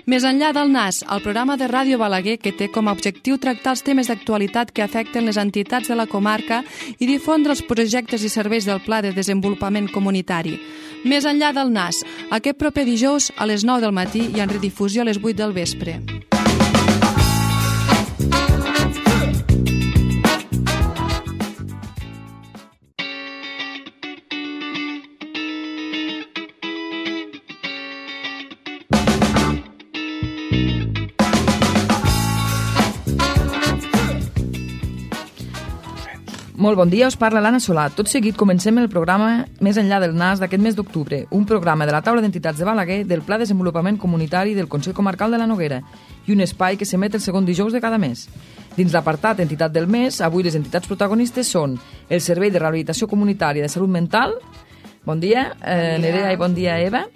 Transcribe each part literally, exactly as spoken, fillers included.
Més enllà del N A S, el programa de Ràdio Balaguer que té com a objectiu tractar els temes d'actualitat que afecten les entitats de la comarca i difondre els projectes i serveis del Pla de Desenvolupament Comunitari. Més enllà del N A S, aquest proper dijous a les nou del matí i en redifusió a les vuit del vespre. Molt bon dia, us parla l'Anna Solà. Tot seguit comencem el programa Més enllà del N A S d'aquest mes d'octubre, un programa de la taula d'entitats de Balaguer del Pla de Desenvolupament Comunitari del Consell Comarcal de la Noguera i un espai que s'emet el segon dijous de cada mes. Dins l'apartat Entitat del Mes, avui les entitats protagonistes són el Servei de Rehabilitació Comunitària de Salut Mental, bon dia, eh, bon dia. Nerea, i bon dia, Eva,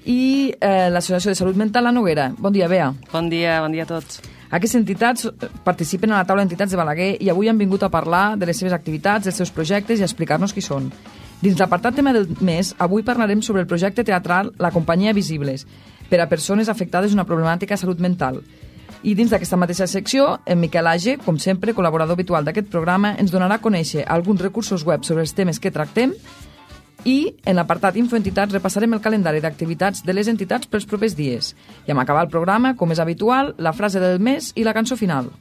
i eh, l'Associació de Salut Mental La Noguera. Bon dia, Bea. Bon dia, bon dia a tots. Aquestes entitats participen a la taula d'entitats de Balaguer i avui han vingut a parlar de les seves activitats, dels seus projectes i a explicar-nos qui són. Dins l'apartat tema del mes, avui parlarem sobre el projecte teatral La Companyia Visibles, per a persones afectades d'una problemàtica de salut mental. I dins d'aquesta mateixa secció, en Miquel Age, com sempre, col·laborador habitual d'aquest programa, ens donarà a conèixer alguns recursos web sobre els temes que tractem i en l'apartat Infoentitats repassarem el calendari d'activitats de les entitats pels propers dies. I en acabar el programa, com és habitual, la frase del mes i la cançó final.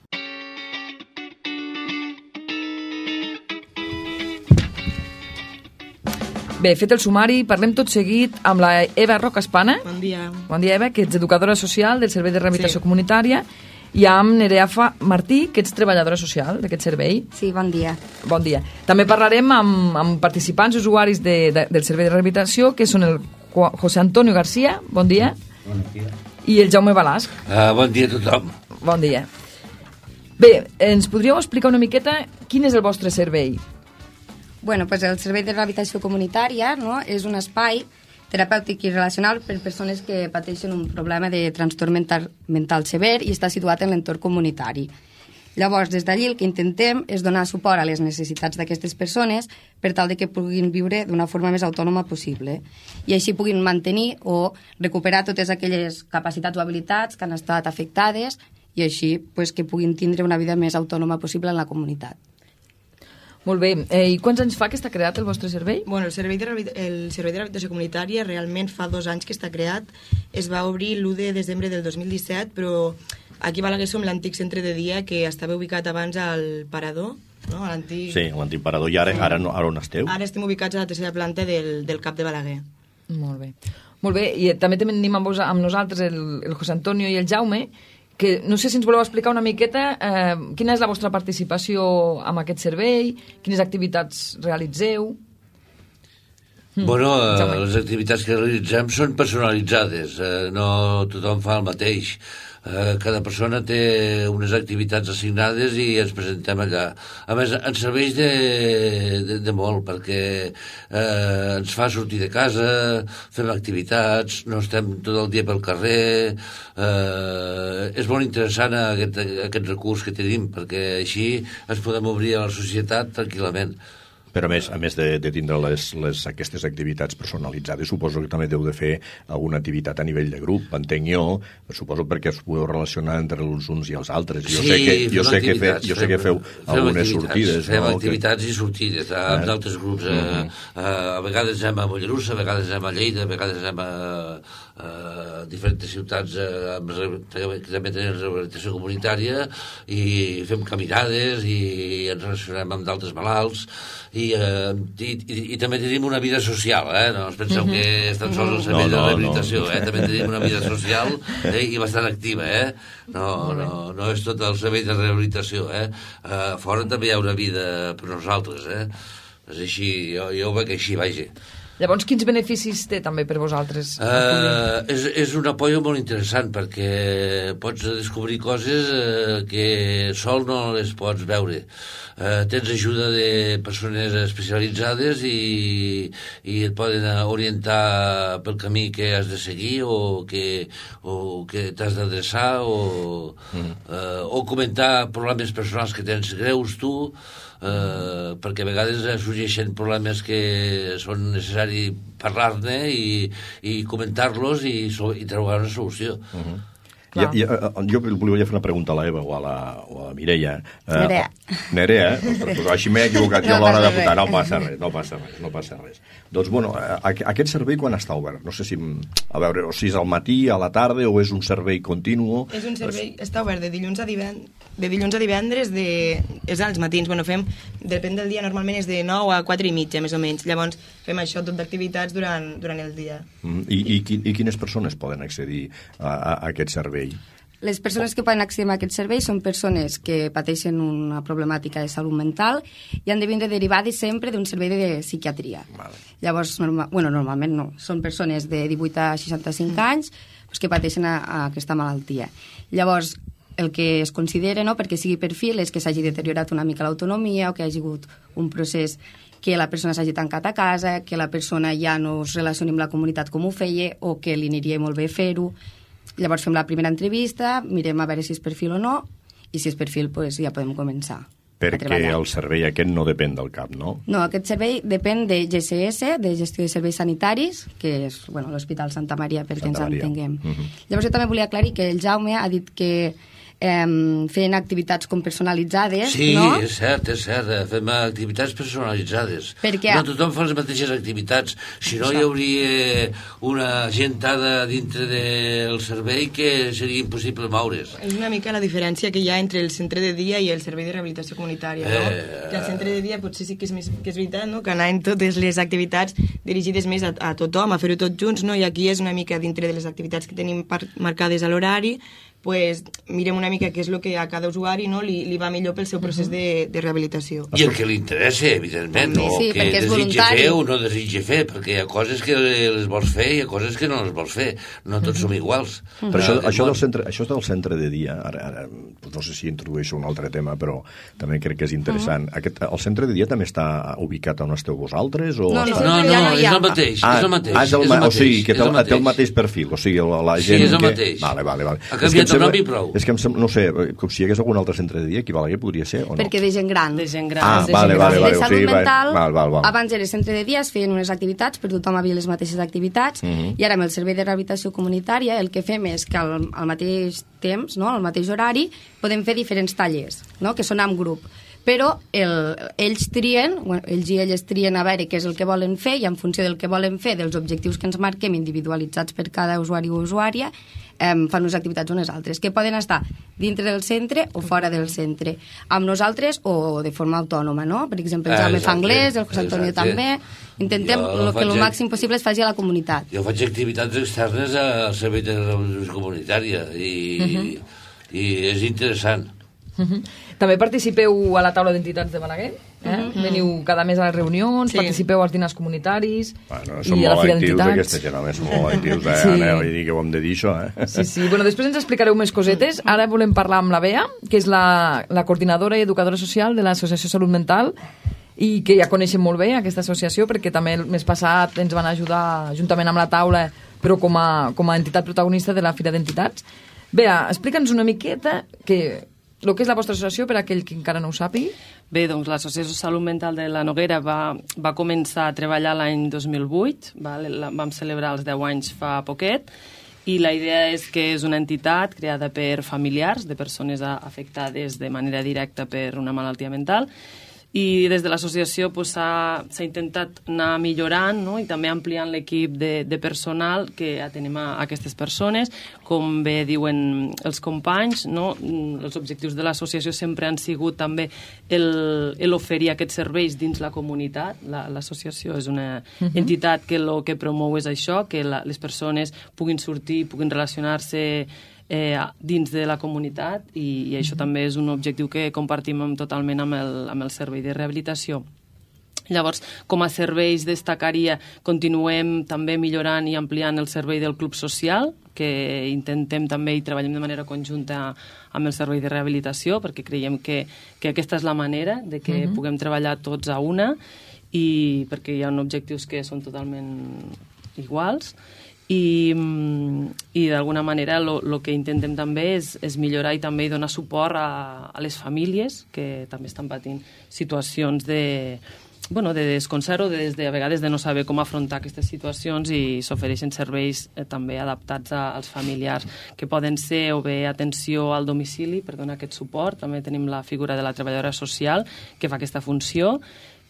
Bé, fet el sumari, parlem tot seguit amb la Eva Rocaspana. Bon dia. Bon dia, Eva, que ets educadora social del Servei de Rehabilitació Sí. Comunitària, i amb Nerea Fa Martí, que ets treballadora social d'aquest servei. Sí, bon dia. Bon dia. També parlarem amb, amb participants usuaris de, de, del Servei de Rehabilitació, que són el José Antonio García, bon dia, bon dia. I el Jaume Balasc. Uh, bon dia a tothom. Bon dia. Bé, ens podríeu explicar una miqueta quin és el vostre servei? Bueno, pues el Servei de Rehabilitació Comunitària, no, és un espai terapèutic i relacional per persones que pateixen un problema de trastorn mental, mental sever i està situat en l'entorn comunitari. Llavors, des d'allí el que intentem és donar suport a les necessitats d'aquestes persones per tal de que puguin viure d'una forma més autònoma possible i així puguin mantenir o recuperar totes aquelles capacitats o habilitats que han estat afectades i així pues, que puguin tindre una vida més autònoma possible en la comunitat. Molt bé. Eh, I quants anys fa que està creat el vostre servei? Bueno, el Servei de, el servei de Rehabilitació Comunitària realment fa dos anys que està creat. Es va obrir l'u de desembre del dos mil disset, però aquí a Balaguer som l'antic centre de dia que estava ubicat abans al Parador, no? A l'antic... Sí, l'antic Parador. I ara, ara, no, ara on esteu? Ara estem ubicats a la tercera planta del, del CAP de Balaguer. Molt bé. Molt bé. I també tenim amb, vos, amb nosaltres el, el José Antonio i el Jaume, que no sé si ens voleu explicar una miqueta eh, quina és la vostra participació amb aquest servei, quines activitats realitzeu. Bueno, eh, les activitats que realitzem són personalitzades, eh, no tothom fa el mateix. Eh, cada persona té unes activitats assignades i ens presentem allà. A més, ens serveix de, de, de molt, perquè eh, ens fa sortir de casa, fem activitats, no estem tot el dia pel carrer. Eh, és molt interessant aquest, aquest recurs que tenim, perquè així ens podem obrir a la societat tranquil·lament. Però a més, a més de, de tindre les, les, aquestes activitats personalitzades, suposo que també deu de fer alguna activitat a nivell de grup, entenc jo, suposo perquè us podeu relacionar entre els uns i els altres. Jo sí, sé que, jo sé que, fe, jo sé fem, que feu algunes sortides. Fem no? activitats que... i sortides amb eh? altres grups. Eh? Uh-huh. eh, a vegades anem a Mollerussa, a vegades anem a Lleida, a vegades anem a, a diferents ciutats eh, amb, que també tenen rehabilitació comunitària i fem caminades i ens relacionem amb d'altres malalts. I, eh, i, i, i també tenim una vida social, eh? No us penseu que és tan sols el servei no, no, de rehabilitació, eh? També tenim una vida social eh? I bastant activa, eh? No, no, no és tot el servei de rehabilitació, eh? Uh, fora també hi ha una vida per nosaltres, eh? És així, jo, jo ho veig així, vaja. Llavors, quins beneficis té també per vosaltres? Uh, és, és un apoyo molt interessant perquè pots descobrir coses uh, que sol no les pots veure. Uh, tens ajuda de persones especialitzades i, i et poden orientar pel camí que has de seguir o que, o que t'has d'adreçar o, mm. uh, o comentar problemes personals que tens greus tu. eh, perquè a vegades sorgeixen problemes que són necessari parlar-ne i, i comentar-los i, i trobar una solució. Uh-huh. Ja, ja, jo volia fer una pregunta a l'Eva o a la, o a la Mireia. Nerea. Uh, Nerea, ostres, doncs així m'he equivocat jo a l'hora de votar. No passa res, no passa res, no passa res. Doncs, bueno, aquest servei quan està obert? No sé si, a veure, o si és al matí, a la tarda, o és un servei continu? És un servei, està obert de dilluns a divendres, de dilluns a divendres, de, és als matins. Bueno, fem, depèn del dia, normalment és de nou a quatre i mitja, més o menys. Llavors, fem això tot d'activitats durant, durant el dia. Mm, i, i, I quines persones poden accedir a, a aquest servei? Les persones que poden accedir a aquest servei són persones que pateixen una problemàtica de salut mental i han de vindre derivades sempre d'un servei de psiquiatria. Vale. Llavors, norma, bueno, normalment no, són persones de divuit a seixanta-cinc mm. anys pues, que pateixen a, a aquesta malaltia. Llavors, el que es considera, no, perquè sigui perfil, és que s'hagi deteriorat una mica l'autonomia o que hi hagi hagut un procés que la persona s'hagi tancat a casa, que la persona ja no es relacioni amb la comunitat com ho feia o que li aniria molt bé fer-ho. Llavors fem la primera entrevista, mirem a veure si és perfil o no, i si és perfil pues, ja podem començar. Perquè el servei aquest no depèn del C A P, no? No, aquest servei depèn de G S S, de Gestió de Serveis Sanitaris, que és bueno, l'Hospital Santa Maria, perquè Santa ens entenguem. Uh-huh. Llavors jo també volia aclarir que el Jaume ha dit que eh, feien activitats com personalitzades, sí, no? Sí, és cert, és cert, fem activitats personalitzades. Perquè... No tothom fa les mateixes activitats, si no hi hauria una gentada dintre del servei que seria impossible moure's. És una mica la diferència que hi ha entre el centre de dia i el servei de rehabilitació comunitària, no? Eh... Que al centre de dia potser sí que és, més, que és veritat, no? Que anar en totes les activitats dirigides més a, a tothom, a fer-ho tots junts, no? I aquí és una mica dintre de les activitats que tenim marcades a l'horari, pues, mirem una mica què és el que a cada usuari no, li, li va millor pel seu procés de, de rehabilitació. I el que li interessa, evidentment, no sí, que desitja fer o no desitja fer, perquè hi ha coses que les vols fer i hi ha coses que no les vols fer. No tots som iguals. Però això, això, del centre, això del centre de dia, ara, ara no sé si introdueixo un altre tema, però també crec que és interessant. Aquest, el centre de dia també està ubicat on esteu vosaltres? O... No, no, no, no, no, és el mateix. Ah, és el mateix, ah, és el, és el mateix, o sigui, que té el, el té el mateix perfil, o sigui, la, la gent sí, és el que... mateix. Vale, vale, vale. Ha canviat el nom i prou. És que em sembla, no sé, com si hi hagués algun altre centre de dia, aquí a Balaguer podria ser o no? Perquè de gent gran. De gent gran. Ah, de vale, gent vale, vale. De salut O sigui, mental, val, val, val. abans era centre de dia, es feien unes activitats, per tothom havia les mateixes activitats, uh -huh. i ara amb el servei de rehabilitació comunitària el que fem és que al, al mateix temps, no, al mateix horari, podem fer diferents tallers, no, que són en grup. Però el, ells trien, bueno, ells i elles trien a veure què és el que volen fer i en funció del que volen fer, dels objectius que ens marquem individualitzats per cada usuari o usuària, eh, fan unes activitats unes altres, que poden estar dintre del centre o fora del centre, amb nosaltres o de forma autònoma, no? Per exemple, el Jaume fa anglès, el José Antonio també. Intentem jo que el màxim possible es faci a la comunitat. Jo faig activitats externes al servei de rehabilitació comunitària i, uh -huh. i és interessant. Uh -huh. També participeu a la taula d'entitats de Balaguer, eh? Uh -huh. Veniu cada mes a les reunions, sí. Participeu als dinars comunitaris, bueno, són i a la Fira d'Entitats. Aquesta gent, home, són molt actius, eh? Sí. Aneu, vull dir que ho hem de dir, això, eh? Sí, sí. Bueno, després ens explicareu més cosetes. Ara volem parlar amb la Bea, que és la, la coordinadora i educadora social de l'Associació Salut Mental, i que ja coneixem molt bé aquesta associació, perquè també el mes passat ens van ajudar juntament amb la taula, però com a, com a entitat protagonista de la Fira d'Entitats. Bea, explica'ns una miqueta que... el que és la vostra associació, per a aquell que encara no ho sàpigui? Bé, doncs l'Associació Salut Mental de la Noguera va, va començar a treballar l'any dos mil vuit, va, la, vam celebrar els deu anys fa poquet, i la idea és que és una entitat creada per familiars de persones afectades de manera directa per una malaltia mental, i des de l'associació pues, s'ha intentat anar millorant, no? I també ampliant l'equip de, de personal que atenem a, a aquestes persones. Com bé diuen els companys, no? Els objectius de l'associació sempre han sigut també l'oferir aquests serveis dins la comunitat. L'associació és una uh-huh. entitat que el que promou és això, que la, les persones puguin sortir, puguin relacionar-se Eh, dins de la comunitat i, i això mm-hmm. també és un objectiu que compartim amb, totalment amb el, amb el servei de rehabilitació. Llavors, com a serveis destacaria, continuem també millorant i ampliant el servei del club social, que intentem també i treballem de manera conjunta amb el servei de rehabilitació, perquè creiem que, que aquesta és la manera de que mm-hmm. puguem treballar tots a una, i perquè hi ha objectius que són totalment iguals. i, i d'alguna manera el que intentem també és, és millorar i també donar suport a, a les famílies que també estan patint situacions de, bueno, de desconcert o de, de, a vegades de no saber com afrontar aquestes situacions, i s'ofereixen serveis eh, també adaptats a, als familiars, que poden ser o bé atenció al domicili per donar aquest suport. També tenim la figura de la treballadora social que fa aquesta funció,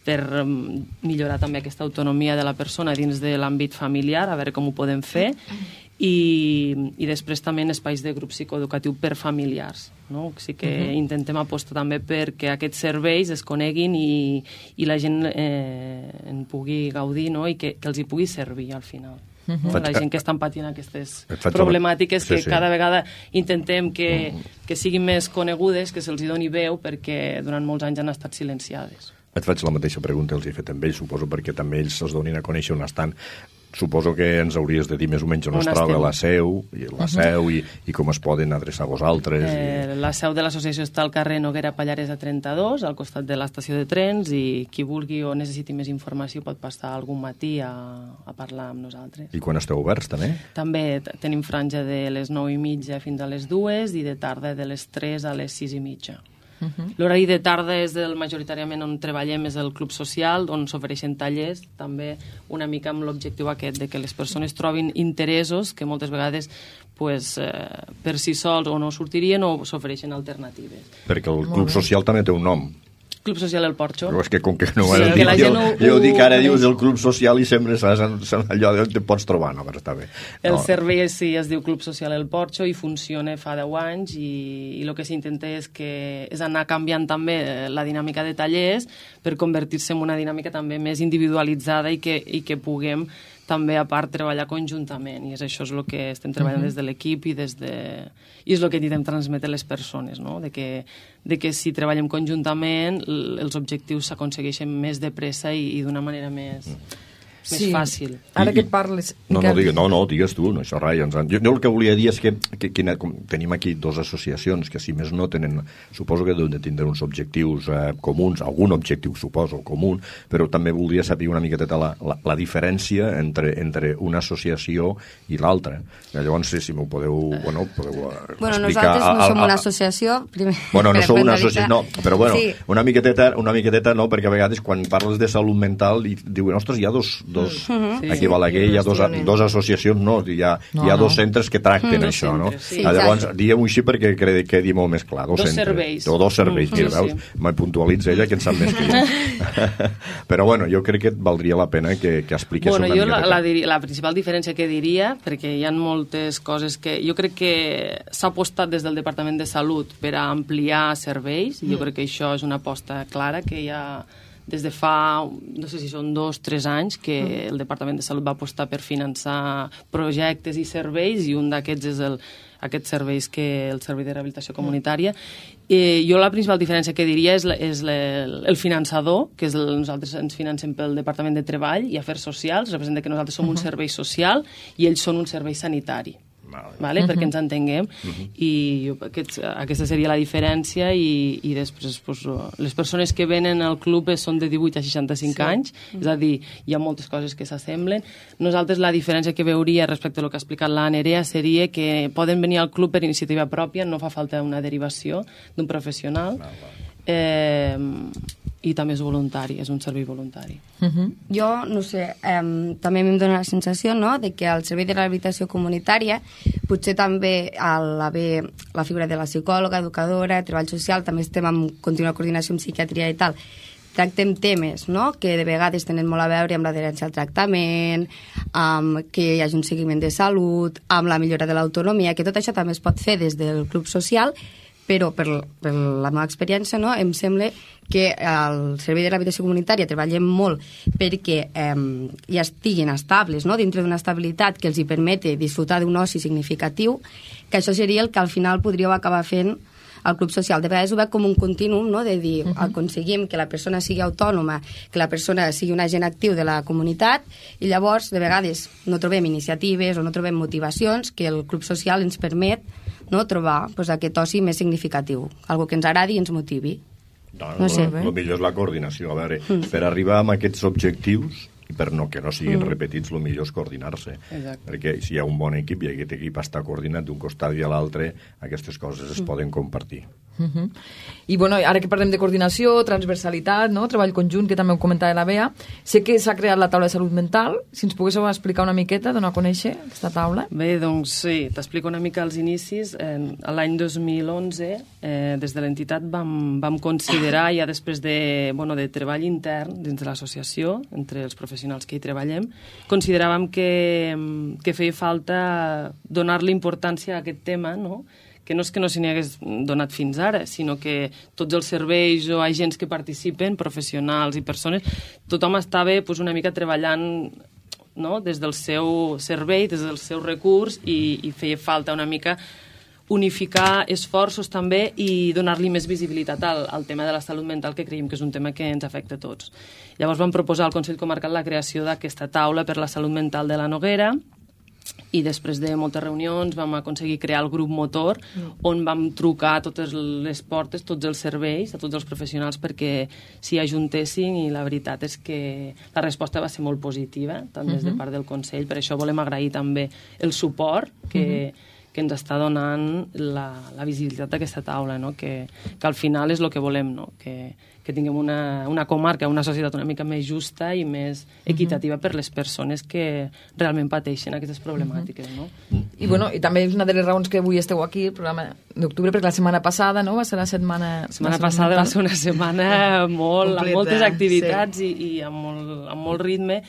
per millorar també aquesta autonomia de la persona dins de l'àmbit familiar, a veure com ho podem fer, i, i després també en espais de grup psicoeducatiu per familiars, no? O sigui que uh-huh. intentem apostar també perquè aquests serveis es coneguin i, i la gent eh, en pugui gaudir, no? I que, que els hi pugui servir al final. Uh-huh. No? La gent que estan patint aquestes problemàtiques que sí, sí. cada vegada intentem que, que siguin més conegudes, que se'ls hi doni veu, perquè durant molts anys han estat silenciades. Et faig la mateixa pregunta, els he fet amb ells, suposo, perquè també ells es donin a conèixer on estan. Suposo que ens hauries de dir més o menys on, on es troba la seu, i la seu i, i com es poden adreçar a vosaltres. Eh, i... La seu de l'associació està al carrer Noguera Pallares a trenta-dos, al costat de l'estació de trens, i qui vulgui o necessiti més informació pot passar algun matí a, a parlar amb nosaltres. I quan esteu oberts, també? També tenim franja de les nou i mitja fins a les dues i de tarda de les tres a les sis i mitja. Uh-huh. L'horari de tarda és el majoritàriament on treballem, és el club social, on s'ofereixen tallers, també una mica amb l'objectiu aquest de que les persones trobin interessos que moltes vegades pues, eh, per si sols o no sortirien o s'ofereixen alternatives. Perquè el club social també té un nom. Club Social El Porxo. Però és que com que no ho has dit, jo, ho, jo ho dic ara, ho... dius el Club Social i sempre saps allò on te pots trobar, no? Però està bé. El no. servei sí es diu Club Social El Porxo i funciona fa deu anys, i, i el que s'intenta és, que, és anar canviant també la dinàmica de tallers per convertir-se en una dinàmica també més individualitzada i que, i que puguem també, a part, treballar conjuntament, i és això és el que estem treballant uh-huh. des de l'equip i des de... i és el que intentem transmetre a les persones, no? de, que, de que si treballem conjuntament els objectius s'aconsegueixen més de pressa i, i d'una manera més... Uh-huh. més sí. fàcil. Ara que et parles... No, no, digues, no, no, digues tu, no, això rai. Ens, jo, jo el que volia dir és que, que, que com, tenim aquí dues associacions que, si més no, tenen, suposo que deuen de tindre uns objectius eh, comuns, algun objectiu, suposo, comú, però també voldria saber una miqueta la, la, la diferència entre, entre una associació i l'altra. Llavors, si, si m'ho podeu, bueno, podeu explicar... Bueno, nosaltres no som una associació... Primer, bueno, no som una associació, no, però bueno, sí. una miqueteta, una miqueteta no, perquè a vegades quan parles de salut mental i diuen, ostres, hi ha dos, dos Mm-hmm. aquí a Balaguer hi ha dos, dos associacions, no, hi ha, no, hi ha dos no. centres que tracten mm, això, no? Sí, llavors, diguem-ho així perquè quedi, quedi molt més clar. Dos, dos centres, serveis. O dos serveis, mm, mira, sí, veus? Sí. Me puntualitza ella que en sap més que jo. Però bueno, jo crec que valdria la pena que, que expliqués bueno, una jo mica. La, la, la principal diferència que diria, perquè hi ha moltes coses que... Jo crec que s'ha apostat des del Departament de Salut per a ampliar serveis, i jo crec que això és una aposta clara que hi ha... des de fa, no sé si són dos, tres anys, que el Departament de Salut va apostar per finançar projectes i serveis, i un d'aquests és el, aquests serveis que el Servei de Rehabilitació Comunitària. Eh, jo la principal diferència que diria és, la, és la, el finançador, que és el, nosaltres ens financem pel Departament de Treball i Afers Socials, representa que nosaltres som uh-huh. un servei social i ells són un servei sanitari. Vale. Vale? Uh-huh. Perquè ens entenguem, uh-huh. i jo, aquest, aquesta seria la diferència, i, i després pues, les persones que venen al club són de divuit a seixanta-cinc sí. anys, uh-huh. és a dir, hi ha moltes coses que s'assemblen. Nosaltres la diferència que veuria respecte al que ha explicat la Nerea seria que poden venir al club per iniciativa pròpia, no fa falta una derivació d'un professional. Ah, eh, i també és voluntari, és un servei voluntari. Uh-huh. Jo, no sé, eh, també em dóna la sensació, no?, de que al servei de rehabilitació comunitària potser també a l'haver la figura de la psicòloga, educadora, treball social, també estem en contínua coordinació amb psiquiatria i tal, tractem temes, no?, que de vegades tenen molt a veure amb l'adherència al tractament, amb que hi hagi un seguiment de salut, amb la millora de l'autonomia, que tot això també es pot fer des del club social, però per, per la meva experiència, no, em sembla que al Servei de Rehabilitació Comunitària treballem molt perquè eh, ja estiguin estables, no?, dintre d'una estabilitat que els hi permeti disfrutar d'un oci significatiu, que això seria el que al final podríeu acabar fent al club social. De vegades ho veig com un continuum, no?, de dir, uh-huh. aconseguim que la persona sigui autònoma, que la persona sigui un agent actiu de la comunitat, i llavors, de vegades, no trobem iniciatives o no trobem motivacions que el club social ens permet, no?, trobar pues, aquest oci més significatiu, algo que ens agradi i ens motivi. No, no, no sé. El millor és la coordinació. A veure, mm. per arribar a aquests objectius, i per no, que no siguin mm. repetits, el millor és coordinar-se. Exacte. Perquè si hi ha un bon equip i aquest equip està coordinat d'un costat i a l'altre, aquestes coses es mm. poden compartir. Uh -huh. I bueno, ara que parlem de coordinació, transversalitat, no? Treball conjunt, que també ho comentava la Bea, sé que s'ha creat la taula de salut mental. Si ens poguéssiu explicar una miqueta, donar a conèixer aquesta taula. Bé, doncs sí, t'explico una mica els inicis. Eh, L'any dos mil onze, eh, des de l'entitat vam, vam considerar, ja després de, bueno, de treball intern dins de l'associació, entre els professionals que hi treballem, consideràvem que, que feia falta donar-li importància a aquest tema, no?, que no és que no se n'hi hagués donat fins ara, sinó que tots els serveis o agents que participen, professionals i persones, tothom estava pues, una mica treballant, no?, des del seu servei, des del seu recurs, i, i feia falta una mica unificar esforços també i donar-li més visibilitat al, al tema de la salut mental, que creiem que és un tema que ens afecta a tots. Llavors vam proposar al Consell Comarcal la creació d'aquesta taula per la salut mental de la Noguera, i després de moltes reunions vam aconseguir crear el grup motor, on vam trucar a totes les portes, tots els serveis, a tots els professionals perquè s'hi ajuntessin, i la veritat és que la resposta va ser molt positiva, tant des de part del Consell. Per això volem agrair també el suport que, que ens està donant la, la visibilitat d'aquesta taula, no? que, que al final és el que volem, no? que, que tinguem una, una comarca, una societat una mica més justa i més equitativa per les persones que realment pateixen aquestes problemàtiques, no? I, bueno, i també és una de les raons que avui esteu aquí, el programa d'octubre, perquè la setmana passada, no?, va ser la setmana... La setmana passada va ser una setmana molt, amb moltes activitats sí. i, i amb, molt, amb molt ritme.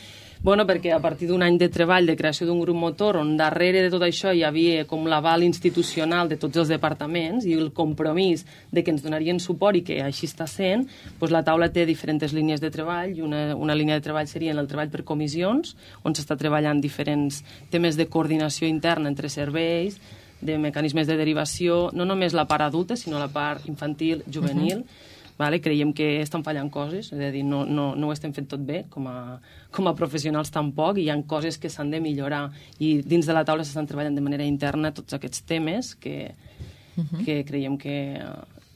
Bueno, perquè a partir d'un any de treball, de creació d'un grup motor, on darrere de tot això hi havia com l'aval institucional de tots els departaments i el compromís de que ens donarien suport, i que així està sent, doncs la taula té diferents línies de treball, i una, una línia de treball seria el treball per comissions, on s'està treballant diferents temes de coordinació interna entre serveis, de mecanismes de derivació, no només la part adulta, sinó la part infantil, juvenil. Uh-huh. Vale? Creiem que estan fallant coses, és a dir, no, no, no ho estem fent tot bé, com a, com a professionals tampoc, i hi ha coses que s'han de millorar, i dins de la taula s'estan treballant de manera interna tots aquests temes que, uh-huh. que creiem que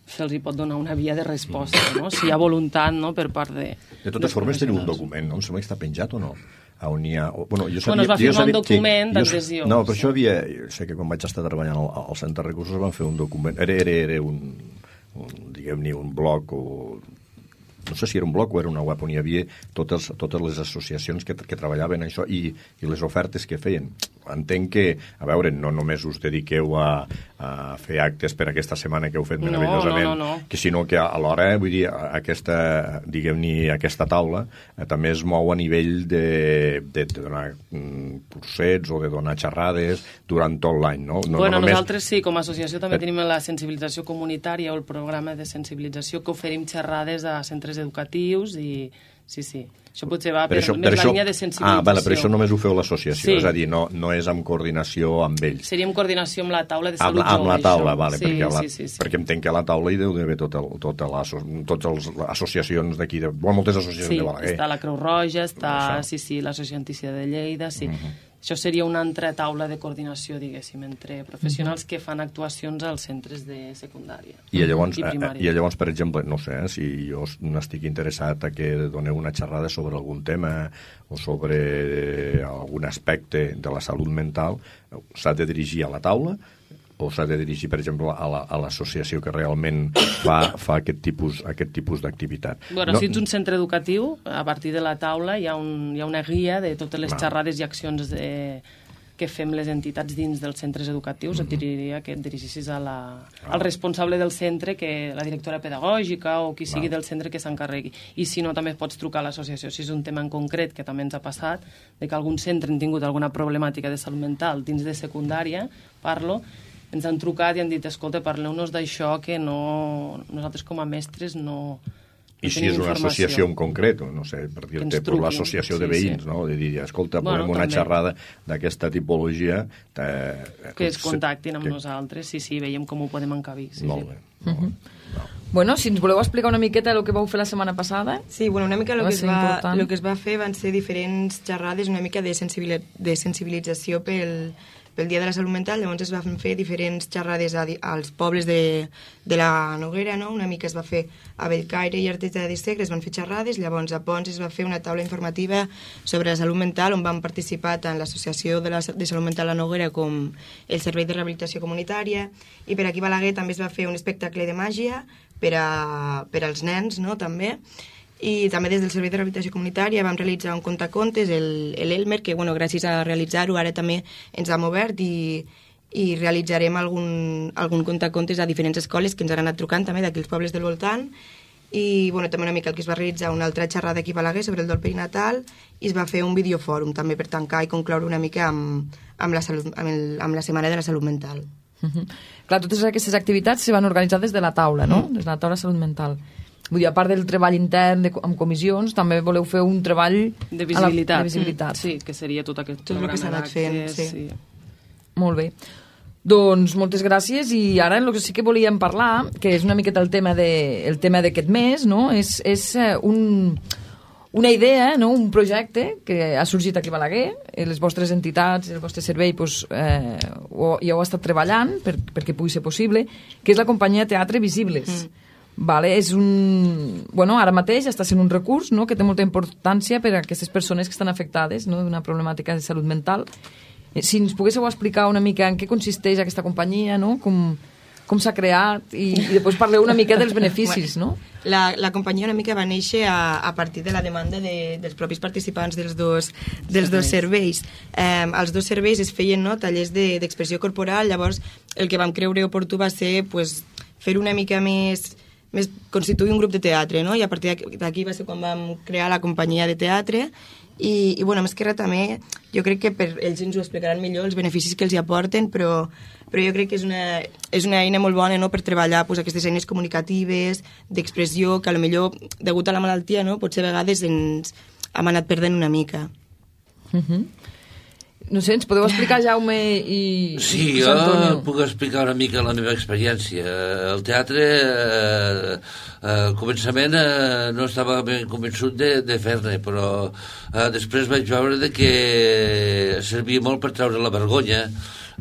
se'ls hi pot donar una via de resposta, no? Si hi ha voluntat, no?, per part de... De totes formes, teniu un document, no? Em sembla que està penjat o no? On hi ha... Bueno, jo sabia, bueno, es va firmar sabia, un document sí, d'adhesió. No, per això havia... Sé que quan vaig estar treballant al, al Centre de Recursos van fer un document... Era, era, era un... un diguem-ne, un blog o... no sé si era un blog o era una web on hi havia totes, totes les associacions que, que treballaven això i, i les ofertes que feien. Entenc que, a veure, no només us dediqueu a, a fer actes per aquesta setmana que heu fet meravellosament, no, no, no, no. que sinó que alhora, vull dir, aquesta, diguem-ne, aquesta taula eh, també es mou a nivell de, de, de donar mm, cursets o de donar xerrades durant tot l'any, no? no bueno, no només... nosaltres sí, com a associació també tenim la sensibilització comunitària o el programa de sensibilització que oferim xerrades a centres educatius i sí, sí. Això potser va per, per això, més per la això... línia de sensibilització. Ah, vale, per això només ho feu l'associació, sí. És a dir, no, no és amb coordinació amb ells. Seria en coordinació amb la taula de salut amb, amb jove. la taula, això. vale, sí, perquè, la, sí, sí, sí. perquè entenc que a la taula hi deu d'haver tota, tota la, totes les associacions d'aquí, de, bueno, moltes associacions sí, de Balaguer. Sí, està la Creu Roja, està, això. sí, sí, l'Associació Antícia de Lleida, sí. Uh-huh. Això seria una altra taula de coordinació, diguéssim, entre professionals uh-huh. que fan actuacions als centres de secundària i llavors, i primària. I llavors, per exemple, no sé, eh, si jo n'estic interessat a que doneu una xerrada sobre algun tema o sobre algun aspecte de la salut mental, s'ha de dirigir a la taula o s'ha de dirigir, per exemple, a l'associació la, que realment fa, fa aquest tipus, aquest tipus d'activitat. Bueno, no, si ets un centre educatiu, a partir de la taula hi ha, un, hi ha una guia de totes les no. xerrades i accions de, que fem les entitats dins dels centres educatius. Mm-hmm. Et diria que et dirigissis a la, ah. al responsable del centre, que la directora pedagògica o qui sigui ah. del centre que s'encarregui. I si no, també pots trucar a l'associació. Si és un tema en concret que també ens ha passat, de que algun centre han tingut alguna problemàtica de salut mental dins de secundària, parlo, ens han trucat i han dit, escolta, parleu-nos d'això, que no, nosaltres com a mestres no, no I si és una associació en concret, no sé, per dir-te, per l'associació sí, de veïns, sí. no? De dir, escolta, bueno, volem una també. xerrada d'aquesta tipologia... Te... Que es contactin amb que... nosaltres, sí, sí, veiem com ho podem encabir. Sí, molt sí. bé. Molt bé. Uh-huh. No. Bueno, si ens voleu explicar una miqueta el que vau fer la setmana passada. Sí, bueno, una mica el que, es va, el que es va fer van ser diferents xerrades, una mica de, sensibil de sensibilització pel, pel Dia de la Salut Mental, llavors es van fer diferents xerrades a, als pobles de, de la Noguera, no? Una mica es va fer a Bellcaire i Artesa de Segre, es van fer xerrades, llavors a Pons es va fer una taula informativa sobre la salut mental on van participar tant l'Associació de, la, de Salut Mental La Noguera com el Servei de Rehabilitació Comunitària, i per aquí a Balaguer també es va fer un espectacle de màgia per, a, per als nens, no?, també. I també des del Servei de Rehabilitació Comunitària vam realitzar un contacontes, el, el Elmer, que bueno, gràcies a realitzar-ho ara també ens hem obert i, i realitzarem algun, algun contacontes a diferents escoles que ens han anat trucant també d'aquí els pobles del voltant. I bueno, també una mica el que es va realitzar una altra xerrada aquí a Balaguer sobre el dol perinatal i es va fer un videofòrum també per tancar i concloure una mica amb, amb, la, salut, amb, el, amb la Setmana de la Salut Mental. Uh -huh. Clar, totes aquestes activitats se van organitzar des de la taula, no? Mm. Des de la taula de salut mental. Vull dir, a part del treball intern de, amb comissions, també voleu fer un treball de visibilitat. La, de visibilitat. Mm. Sí, que seria tot aquest tot el que s'ha anat fent, sí. sí. Molt bé. Doncs moltes gràcies, i ara el que sí que volíem parlar, que és una miqueta el tema de, el tema d'aquest mes, no? És, és un, una idea, no? Un projecte que ha sorgit aquí a Balaguer, les vostres entitats, el vostre servei pues, eh, ho, ja ho ha estat treballant per, perquè pugui ser possible, que és la companyia Teatre Visibles. Mm. Vale, és un... Bueno, ara mateix està sent un recurs, no?, que té molta importància per a aquestes persones que estan afectades, no?, d'una problemàtica de salut mental. Si ens poguéssiu explicar una mica en què consisteix aquesta companyia, no?, com, com s'ha creat, i, i després parleu una mica dels beneficis, no? La, la companyia una mica va néixer a, a partir de la demanda de, dels propis participants dels dos, dels dos serveis. Eh, els dos serveis es feien, no?, tallers d'expressió de, corporal, llavors el que vam creure oportú va ser pues, fer una mica més... més constituir un grup de teatre, no? I a partir d'aquí va ser quan vam crear la companyia de teatre i, i bueno, més que res també jo crec que per ells ens ho explicaran millor els beneficis que els hi aporten, però, però jo crec que és una, és una eina molt bona, no?, per treballar pues, aquestes eines comunicatives, d'expressió, que potser degut a la malaltia, no?, potser a vegades ens hem anat perdent una mica. Mhm. Uh-huh. No sé, ens podeu explicar, Jaume i Sí, i jo Antonio? puc explicar una mica la meva experiència. El teatre, eh, al començament, eh, no estava ben convençut de, de fer-ne, però eh, després vaig veure de que servia molt per treure la vergonya,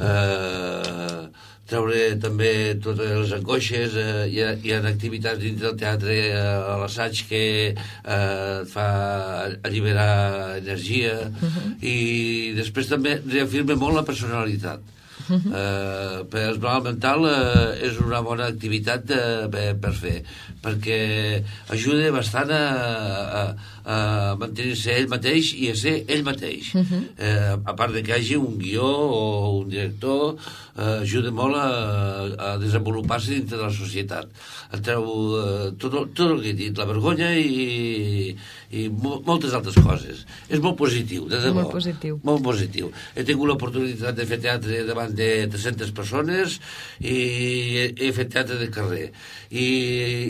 eh, treure també totes les angoixes, eh, hi, ha, hi ha activitats dins del teatre eh, a l'assaig que eh, et fa alliberar energia, uh-huh. i després també reafirma molt la personalitat. Uh-huh. Eh, per el mal mental eh, és una bona activitat eh, per, per fer, perquè ajuda bastant a, a, a mantenir-se ell mateix i a ser ell mateix. Uh-huh. eh, a part de que hi hagi un guió o un director, eh, ajuda molt a, a desenvolupar-se dintre de la societat. Et treu eh, tot, tot el que he dit, la vergonya i, i mo moltes altres coses. És molt positiu, de debò. Molt positiu. Molt positiu. He tingut l'oportunitat de fer teatre davant de tres-centes persones i he, he fet teatre de carrer. I,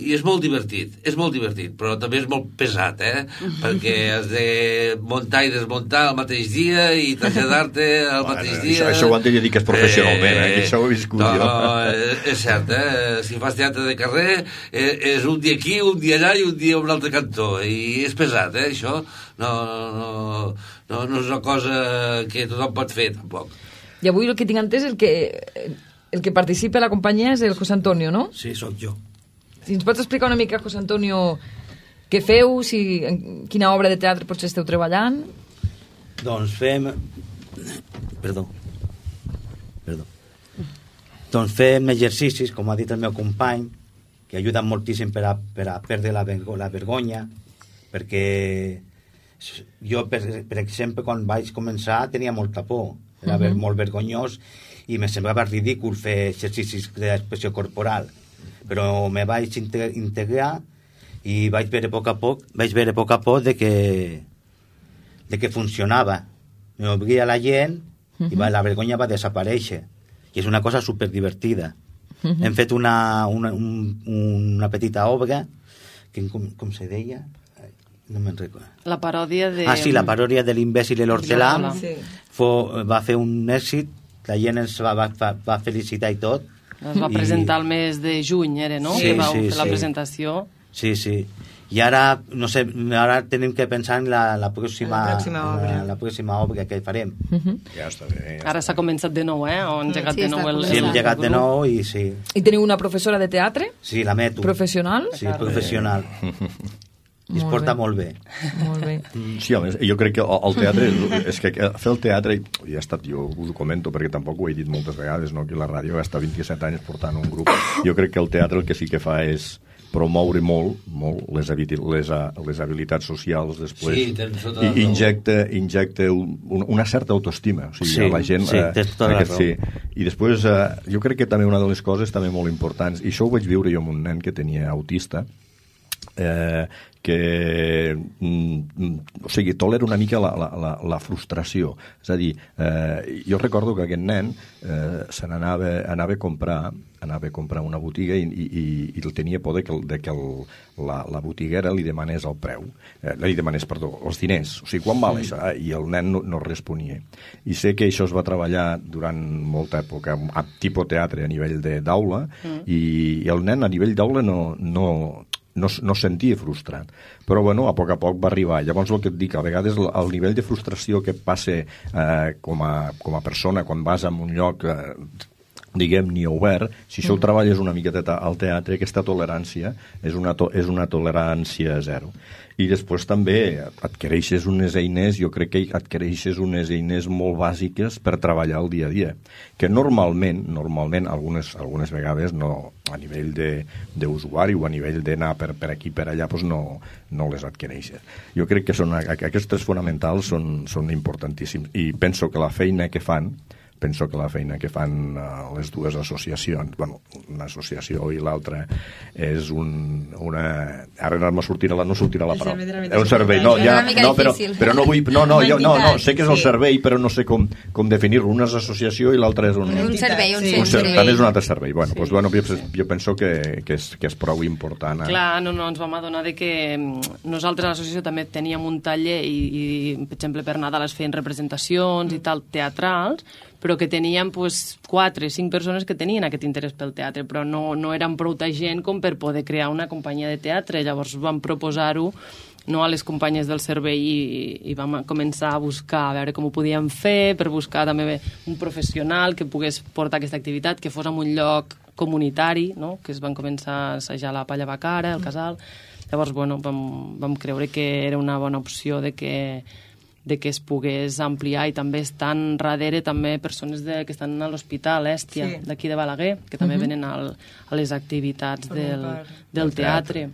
i és molt divertit, és molt divertit, però també és molt pesat, eh? Perquè has de muntar i desmuntar el mateix dia i traslladar-te el bueno, mateix dia. Això, això ho han de dir que és professionalment, eh? eh? Això ho he viscut no, jo. No, és, és cert, eh? Si fas teatre de carrer, eh, és un dia aquí, un dia allà i un dia a un altre cantó. I és pesat, eh, això? No, no, no, no és una cosa que tothom pot fer, tampoc. I avui el que tinc entès, el que, el que participa a la companyia és el José Antonio, no? Sí, sóc jo. Si ens pots explicar una mica, José Antonio, què feu, si, en quina obra de teatre potser esteu treballant? Doncs fem... Perdó. Perdó. Doncs fem exercicis, com ha dit el meu company, que ajuden moltíssim per a, per a perdre la, la vergonya, perquè jo, per, per exemple, quan vaig començar tenia molta por, era uh -huh. molt vergonyós i me semblava ridícul fer exercicis d'expressió corporal, però me vaig integrar i vaig veure a poc a poc, vaig veure a poc a poc de que, de que funcionava. Me obria la gent uh-huh. i va, la vergonya va desaparèixer. I és una cosa superdivertida. Uh-huh. Hem fet una, una, un, una petita obra que, com, com se deia? No me'n recordo. La paròdia de... Ah, sí, la paròdia de l'imbècil i l'hortelà. Sí. Va fer un èxit, la gent ens va, va, va felicitar i tot. Es va presentar el mes de juny, era, no? Sí, que vau sí, fer la sí. presentació. Sí, sí. I ara, no sé, ara tenim que pensar en la, la, pròxima, la pròxima obra. La, la pròxima obra que farem. Uh-huh. Ja està bé. Ja Ara s'ha començat de nou, eh? O han engegat Sí, de nou està el... Sí, hem llegat de nou i sí. I teniu una professora de teatre? Sí, la meto. Professional? Sí, professional. I es Molt porta bé. molt bé. Molt bé. Sí, a més, jo crec que el teatre, és que fer el teatre, ja ha estat, jo us ho comento perquè tampoc ho he dit moltes vegades, no? Que la ràdio ha estat vint-i-set anys portant un grup. Jo crec que el teatre el que sí que fa és promoure molt, molt les, les, les habilitats socials després. Sí, tens tota la I injecta, injecta un, una certa autoestima. O sigui, Sí, la gent, sí, tens tota la aquest, raó. sí. I després, eh, jo crec que també una de les coses també molt importants, i això ho vaig viure jo amb un nen que tenia autista, eh, que mm, o sigui, tolera una mica la, la, la, la frustració. És a dir, eh, jo recordo que aquest nen eh, se n'anava anava a comprar anava a comprar una botiga i, i, i el tenia por de que, de que el, la, la botiguera li demanés el preu, eh, li demanés, perdó, els diners, o sigui, quan val això? I el nen no, no responia. I sé que això es va treballar durant molta època, a tipus teatre a nivell d'aula, mm. i, i el nen a nivell d'aula no, no, no, no sentia frustrat. Però, bueno, a poc a poc va arribar. Llavors, el que et dic, a vegades el, el nivell de frustració que passa eh, com, a, com a persona quan vas a un lloc... Eh, diguem, ni obert, si això ho treballes una miqueta al teatre, aquesta tolerància és una, to és una tolerància zero. I després també adquireixes unes eines, jo crec que adquireixes unes eines molt bàsiques per treballar el dia a dia, que normalment, normalment algunes, algunes vegades no, a nivell d'usuari o a nivell d'anar per, per aquí, per allà, doncs no, no les adquireixes. Jo crec que són, aquests tres fonamentals són, són importantíssims i penso que la feina que fan penso que la feina que fan uh, les dues associacions, bueno, una associació i l'altra és un, una... Ara no sortirà la, no sortirà la paraula. És un servei, no, ja, no, però, però no vull... No, no, jo, no, no, sé que és el servei, però no sé com, com definir-ho. Una és associació i l'altra és un... Un servei, un, un servei. servei. També és un altre servei. Bueno, sí. Doncs, bueno, jo, jo penso que, que, és, que és prou important. Eh? Clar, no, no, ens vam adonar de que nosaltres a l'associació també teníem un taller i, i, per exemple, per Nadal es feien representacions i tal, teatrals, però que teníem pues, quatre, cinc persones que tenien aquest interès pel teatre, però no, no eren prou gent com per poder crear una companyia de teatre. Llavors vam proposar-ho no, a les companyes del servei i, i vam començar a buscar, a veure com ho podíem fer, per buscar també un professional que pogués portar aquesta activitat, que fos en un lloc comunitari, no? Que es van començar a assajar la Palla Bacara, el Casal. Llavors, bueno, vam, vam creure que era una bona opció de que de que es pogués ampliar i també estan darrere també persones de, que estan a l'Hospital Èstia, sí. d'aquí de Balaguer, que també uh-huh. venen al, a les activitats del, del teatre.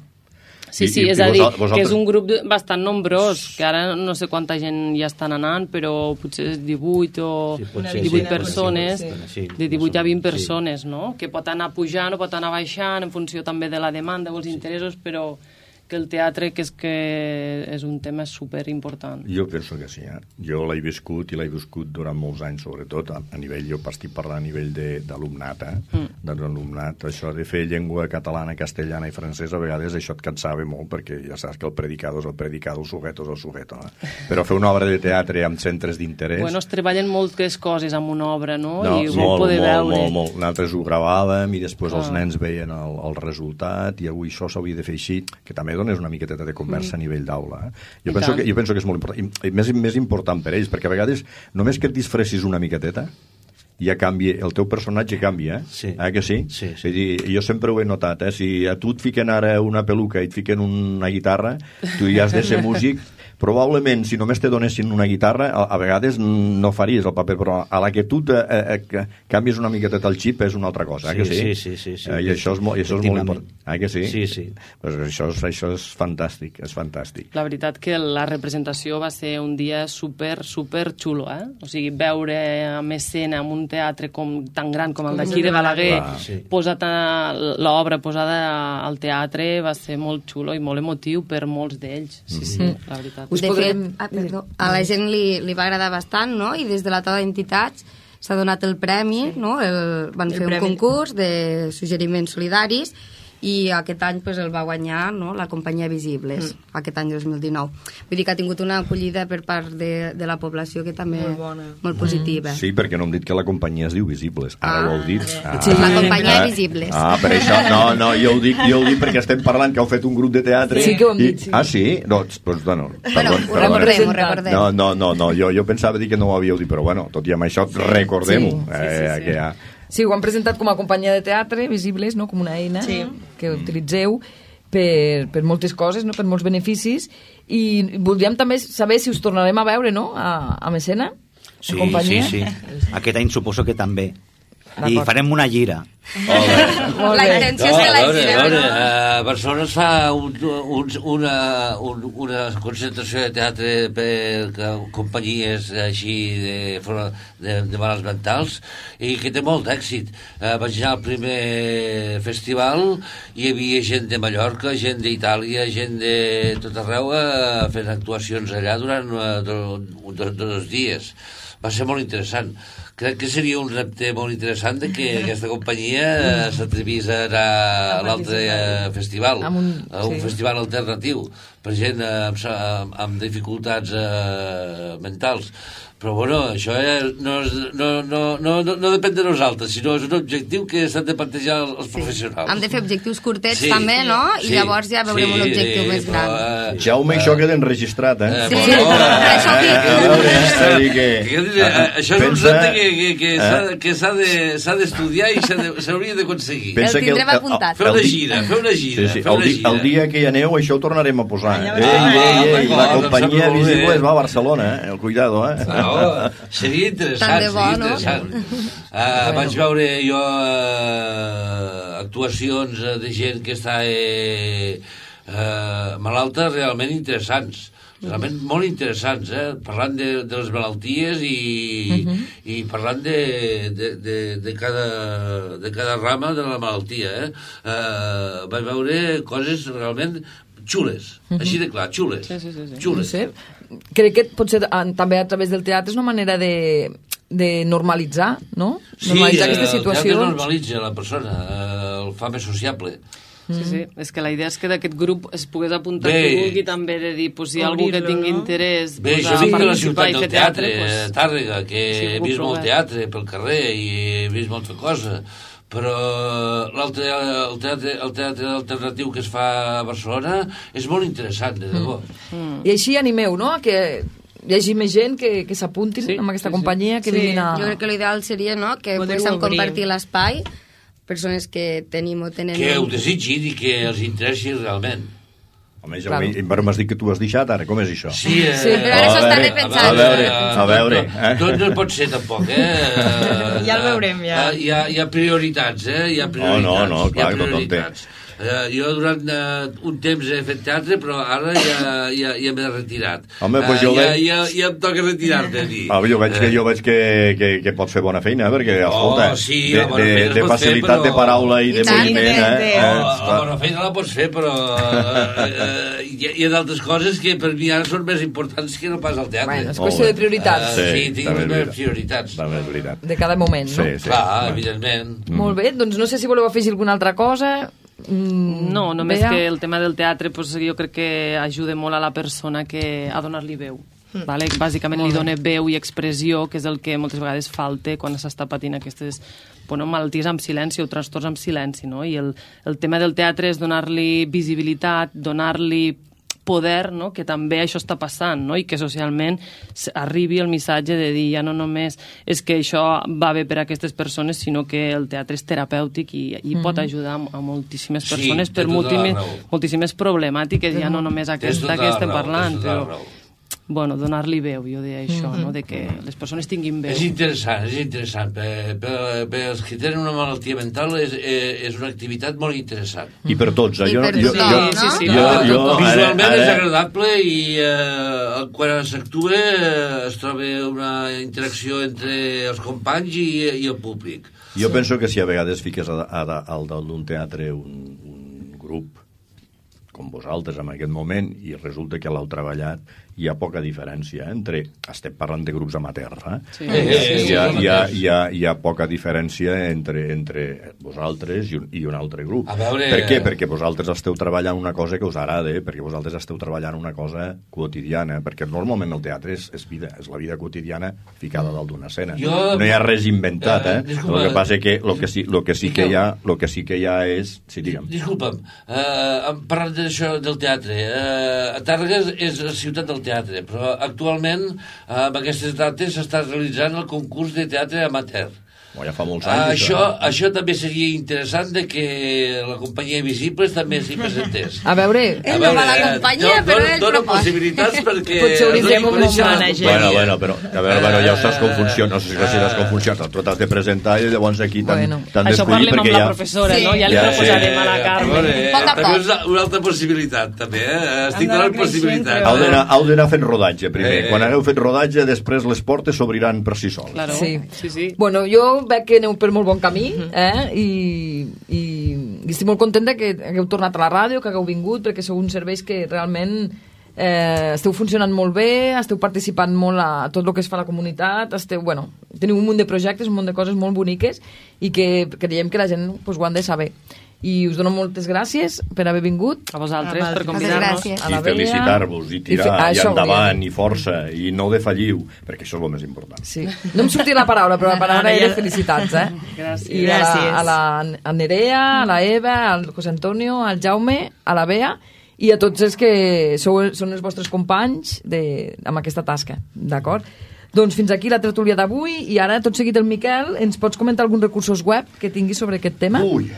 Sí, sí, és a dir, que és un grup bastant nombrós, que ara no sé quanta gent ja estan anant, però potser és divuit o divuit persones, de divuit a vint persones, no? Que pot anar pujant o pot anar baixant en funció també de la demanda o els interessos, però que el teatre que és que és un tema superimportant. Jo penso que sí, eh? Jo l'he viscut i l'he viscut durant molts anys, sobretot a, a nivell, jo estic parlant a nivell d'alumnat, eh? Mm. d'alumnat, això de fer llengua catalana, castellana i francesa, a vegades això et cansava molt, perquè ja saps que el predicador és el predicador, el sujeto és el sujeto, no? Però fer una obra de teatre amb centres d'interès... Bueno, es treballen moltes coses amb una obra, no? No, I ho molt, poder molt, veure. molt, molt. Nosaltres ho gravàvem i després ah. els nens veien el, el resultat i avui això s'hauria de fer així, que també és una miqueta de conversa mm. a nivell d'aula. Eh? Jo, penso que, jo penso que és molt important. I, i més, més important per ells, perquè a vegades només que et disfressis una miqueteta ja canvia, el teu personatge canvia, eh? Sí. Eh que sí? Sí, sí. És dir, jo sempre ho he notat, eh? Si a tu et fiquen ara una peluca i et fiquen una guitarra, tu ja has de ser músic. Probablement, si només te donessin una guitarra, a, a vegades no faries el paper, però a la que tu te, eh, eh, canvies una miqueta el xip és una altra cosa, eh, que sí? Sí, sí, sí. sí. Eh, I això és, mo i això és molt important. Eh, que sí? Sí, sí. Pues això, és, això és fantàstic, és fantàstic. La veritat que la representació va ser un dia super, super xulo, eh? O sigui, veure en escena en un teatre com, tan gran com el d'aquí de Balaguer, sí. posat l'obra posada al teatre, va ser molt xulo i molt emotiu per molts d'ells. Sí, sí, mm-hmm. la veritat. De fet, ah, perdó, a la gent li, li va agradar bastant, no? I des de la taula d'entitats s'ha donat el premi, sí. no? El, van el fer premi. Un concurs de suggeriments solidaris i aquest any pues, el va guanyar, no?, la companyia Visibles, mm. aquest any dos mil dinou. Vull dir que ha tingut una acollida per part de, de la població que també molt bona, molt positiva. Mm. Sí, perquè no hem dit que la companyia es diu Visibles. Ara ah, ho heu dit. Ah, sí, la companyia ah, Visibles. Ah, per això, no, no, jo ho dic, jo ho dic perquè estem parlant que heu fet un grup de teatre. Sí, que ho hem dit, sí. Ah, sí? Doncs, doncs, bueno, bueno, ho recordem, ho recordem. No, no, no, no jo, jo pensava dir que no ho havíeu dit, però bueno, tot i amb això, recordem-ho. Sí, sí, sí, eh, sí. Que ja... Sí, ho han presentat com a companyia de teatre, Visibles, no? Com una eina sí. que utilitzeu per, per moltes coses, no? Per molts beneficis, i voldríem també saber si us tornarem a veure, no?, a, a Mecena, sí, a companyia. Sí, sí, aquest any suposo que també. I farem una gira. Oh, la intenció és que la gira. A veure, a Barcelona es fa un, un, una, un, una concentració de teatre per companyies així de, de, de males mentals i que té molt d'èxit. Eh, vaig anar al primer festival i hi havia gent de Mallorca, gent d'Itàlia, gent de tot arreu eh, fent actuacions allà durant eh, dos, dos, dos dies. Va ser molt interessant. Crec que seria un repte molt interessant de que aquesta companyia s'atrevís a anar a l'altre festival, a un, a un sí. festival alternatiu per gent amb, amb, amb dificultats eh, mentals. Però, bueno, això no, no, no, no, no depèn de nosaltres, sinó és un objectiu que s'han de plantejar els sí. professionals. Hem de fer objectius curtets sí. també, no? I sí. llavors ja veurem sí, un objectiu sí, més gran. Però, uh, Jaume, uh, això queda enregistrat, eh? Sí, sí. Però això sí. Això és un repte que, que, que, que s'ha d'estudiar i s'hauria d'aconseguir. El tindrem apuntat. Fer una gira, fer una gira. Sí, sí. El, di, el dia que hi aneu, això ho tornarem a posar. Ei, ei, ei, la companyia Visibles va a Barcelona, eh? El cuidado, eh? No, seria interessant, bo, seria interessant. No? Uh, vaig veure jo uh, actuacions de gent que està eh, uh, malalta realment interessants, realment molt interessants, eh? Parlant de, de les malalties i, uh-huh. i parlant de, de, de, de, cada, de cada rama de la malaltia. Eh? Uh, vaig veure coses realment xules, uh-huh. així de clar, xules. Sí, sí, sí, sí. No xules. sé. Crec que potser també a través del teatre és una manera de, de normalitzar, no? Normalitzar sí, aquestes situacions. Sí, el teatre normalitza la persona, eh, el fa més sociable. Sí, sí, és que la idea és que d'aquest grup es pogués apuntar qui vulgui també de dir, pues, si hi ha algú que tingui interès Bé, pues, jo a vinc de la participar ciutat i fer del teatre, teatre, pues, Tàrrega, que sí, he vist molt teatre pel carrer i he vist molta cosa, però l'altre el teatre, el teatre alternatiu que es fa a Barcelona és molt interessant, de debò. Mm. I així animeu, no?, que hi hagi més gent que, que s'apuntin sí, amb aquesta sí, companyia, que sí. vinguin a... Jo crec que l'ideal seria, no?, que poguéssim compartir l'espai, persones que tenim o tenen... Que ho desitgin i que els interessi realment. Home, ja claro. Però m'has dit que tu has deixat, ara, com és això? Sí, eh, sí però ara s'ho està repensant. A veure, a veure. Eh? Tot no pot ser, tampoc, eh? Ja el veurem, ja. Hi ha, hi ha prioritats, eh? Hi ha prioritats. No, no, no, clar, tot el té. Uh, jo durant uh, un temps he fet teatre, però ara ja, ja, ja m'he retirat. Home, pues uh, jo ja, veig... ja, ja em toca retirar-me a mi. Ah, jo veig que, jo veig que, que, que pots fer bona feina, perquè, escolta, oh, sí, de, de, de facilitat fer, però... de paraula i de I moviment... Eh? Oh, la bona feina la pots fer, però uh, uh, hi, hi ha d'altres coses que per mi ara són més importants que no pas al teatre. Bueno, és qüestió de prioritats. Uh, sí, sí tinc les meves prioritats. També és veritat. De cada moment, no? Sí, sí. Clar, evidentment. Mm. Molt bé, doncs no sé si voleu afegir alguna altra cosa... Mm, no, només Bea. Que el tema del teatre pues, jo crec que ajuda molt a la persona que a donar-li veu. Mm. Vale? Bàsicament li dona veu i expressió, que és el que moltes vegades falta quan s'està patint aquestes bueno, malalties amb silenci o trastorns amb silenci. No? I el, el tema del teatre és donar-li visibilitat, donar-li poder, no? Que també això està passant, no? I que socialment arribi el missatge de dir ja no només és que això va bé per a aquestes persones, sinó que el teatre és terapèutic i, i mm-hmm. pot ajudar a moltíssimes persones sí, per moltíssimes, moltíssimes problemàtiques, ja no només aquesta que estem parlant, però bueno, donar-li veu, jo deia això, mm-hmm. no? De que les persones tinguin veu. És interessant, és interessant. Per, per, per els que tenen una malaltia mental és, és una activitat molt interessant. I per tots, eh? I jo, per jo, tothom, jo, no? Sí, sí, jo, jo, visualment ara, ara... és agradable i eh, quan s'actua eh, es troba una interacció entre els companys i, i el públic. Jo sí. penso que si a vegades fiques a, a, a, al d'un teatre un, un grup com vosaltres en aquest moment, i resulta que l'heu treballat, hi ha poca diferència entre... Estem parlant de grups amateurs, eh? Sí. Hi ha, hi ha, hi ha, hi ha poca diferència entre, entre vosaltres i un, i un altre grup. A veure... Per què? Perquè vosaltres esteu treballant una cosa que us agrada, perquè vosaltres esteu treballant una cosa quotidiana, perquè normalment el teatre és, és vida, és la vida quotidiana ficada dalt d'una escena. Jo... No hi ha res inventat, eh? Disculpa... El que passa que lo que sí, lo que sí que hi ha, lo que sí que hi ha és... Sí, digue'm. Disculpa'm, uh, parlant d'això del teatre, uh, Tàrrega és la ciutat del teatre, però actualment uh, amb aquestes dates s'està realitzant el concurs de teatre amateur. Oh, ja fa molts anys. Això, això també seria interessant de que la companyia Visibles també s'hi presentés. A veure... Ell no va a la companyia, no, però no, ell dono proposa. possibilitats perquè... Potser hauríem de no començar. coneixen- Bueno, bueno, però a veure, bueno, ja saps com funciona, no sé si saps com funciona, tu t'has de presentar i llavors aquí t'han Bueno. t'han Això d'escollir parlem amb perquè la ja... professora, Sí. no? Ja li Ja, proposarem sí. a la A Carme. veure, Poc a també poc. és una- una altra possibilitat, també, eh? Estic d'anar donant possibilitats. Heu d'anar, heu d'anar fent rodatge primer. Eh. Quan hagueu fet rodatge, després les portes s'obriran per si sols. Claro. Sí. Sí, sí. Bueno, jo veig que aneu per molt bon camí, eh? I, i, i estic molt contenta que hagueu tornat a la ràdio, que hagueu vingut, perquè sou uns serveis que realment eh, esteu funcionant molt bé, esteu participant molt a tot el que es fa a la comunitat, esteu, bueno, teniu un munt de projectes, un munt de coses molt boniques i que creiem que la gent pues, ho han de saber. I us dono moltes gràcies per haver vingut. A vosaltres, Ah, per Moltes convidar-nos. gràcies. A la I Bea. felicitar-vos, i I tirar, fe- i, això endavant, volia i força, i no defalliu, perquè això és el més important. Sí. No em sortia la paraula, però la paraula Ara ja- era felicitats, eh? Gràcies. I a la, Gràcies. a la a Nerea, a la Eva, al José Antonio, al Jaume, a la Bea i a tots els que sou, són els vostres companys de, amb aquesta tasca, d'acord? Doncs fins aquí la tertúlia d'avui i ara tot seguit el Miquel ens pots comentar alguns recursos web que tinguis sobre aquest tema? Ui,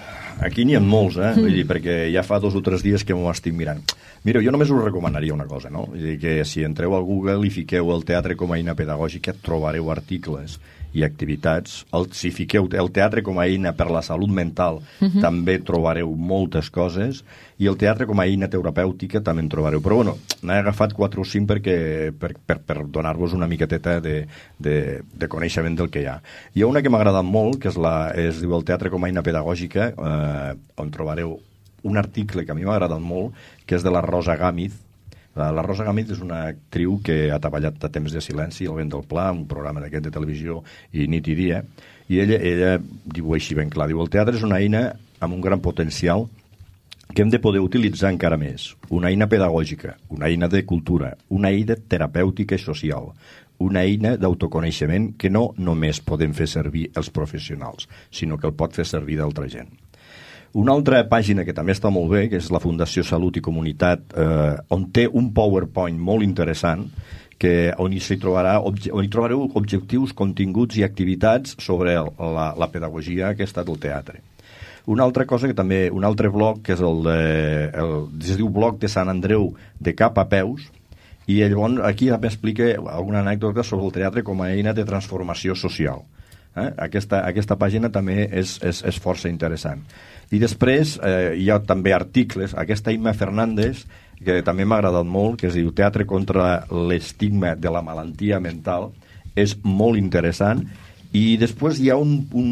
aquí n'hi ha molts, eh? Vull dir, perquè ja fa dos o tres dies que m'ho estic mirant. Mireu, jo només us recomanaria una cosa, no? Vull dir que si entreu al Google i fiqueu el teatre com a eina pedagògica, trobareu articles i activitats. El, si fiqueu el teatre com a eina per la salut mental, uh-huh. també trobareu moltes coses, i el teatre com a eina terapèutica també en trobareu. Però, bueno, n'he agafat quatre o cinc perquè, per, per, per donar-vos una miqueteta de, de, de coneixement del que hi ha. Hi ha una que m'ha agradat molt, que és la, es diu el teatre com a eina pedagògica, eh, on trobareu un article que a mi m'ha agradat molt, que és de la Rosa Gámez. La, la Rosa Gámez és una actriu que ha treballat a Temps de silenci, El vent del pla, un programa d'aquest de televisió, i nit i dia, i ella, ella diu així ben clar, diu, el teatre és una eina amb un gran potencial que hem de poder utilitzar encara més. Una eina pedagògica, una eina de cultura, una eina terapèutica i social, una eina d'autoconeixement que no només podem fer servir els professionals, sinó que el pot fer servir d'altra gent. Una altra pàgina que també està molt bé, que és la Fundació Salut i Comunitat, eh, on té un PowerPoint molt interessant, que on hi, trobarà, on hi trobareu objectius, continguts i activitats sobre el, la, la pedagogia aquesta del teatre. Una altra cosa que també, un altre blog, que és el, de, el es diu Blog de Sant Andreu de Cap a Peus, i llavors aquí també explica alguna anècdota sobre el teatre com a eina de transformació social. Eh? Aquesta, aquesta pàgina també és, és, és força interessant. I després eh, hi ha també articles, aquesta Imma Fernández, que també m'ha agradat molt, que es diu Teatre contra l'estigma de la malaltia mental, és molt interessant. I després hi ha un, un,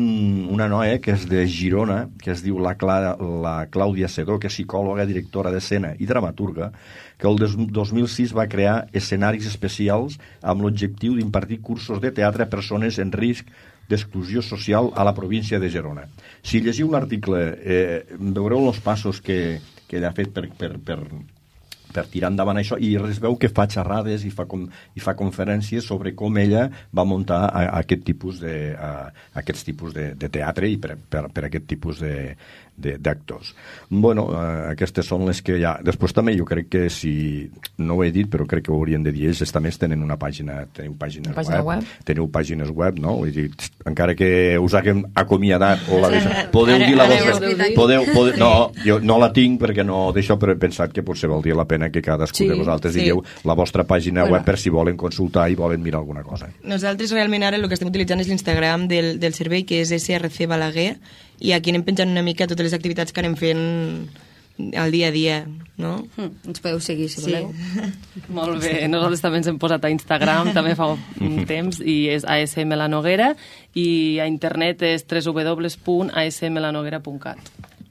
una noia que és de Girona, que es diu la, Cla, la Clàudia Sedó, que és psicòloga, directora d'escena i dramaturga, que el dos mil sis va crear escenaris especials amb l'objectiu d'impartir cursos de teatre a persones en risc d'exclusió social a la província de Girona. Si llegiu l'article, eh, veureu els passos que, que ella ha fet per, per, per, per tirar endavant això, i es veu que fa xerrades i fa, com, i fa conferències sobre com ella va muntar a, a aquest tipus de, a, a aquests tipus de, de teatre i per, per, per aquest tipus de, de, d'actors. Bueno, eh, aquestes són les que hi ha. Després també jo crec que, si no ho he dit, però crec que ho haurien de dir ells, també tenen una pàgina, teniu pàgines pàgina web, web, teniu pàgines web, no? Vull dir, encara que us haguem acomiadat o la deixa, podeu dir la vostra... Podeu, podeu, no, jo no la tinc perquè no d'això, però he pensat que potser valdria la pena que cadascú Sí, de vosaltres sí. digueu la vostra pàgina Bueno. web per si volen consultar i volen mirar alguna cosa. Nosaltres realment ara el que estem utilitzant és l'Instagram del, del servei, que és S R C Balaguer, i aquí anem penjant una mica totes les activitats que anem fent al dia a dia, no? Mm, ens podeu seguir, si voleu. Molt bé, nosaltres també ens hem posat a Instagram, també fa un temps, i és A S M La Noguera, i a internet és w w w punt a s m la noguera punt cat.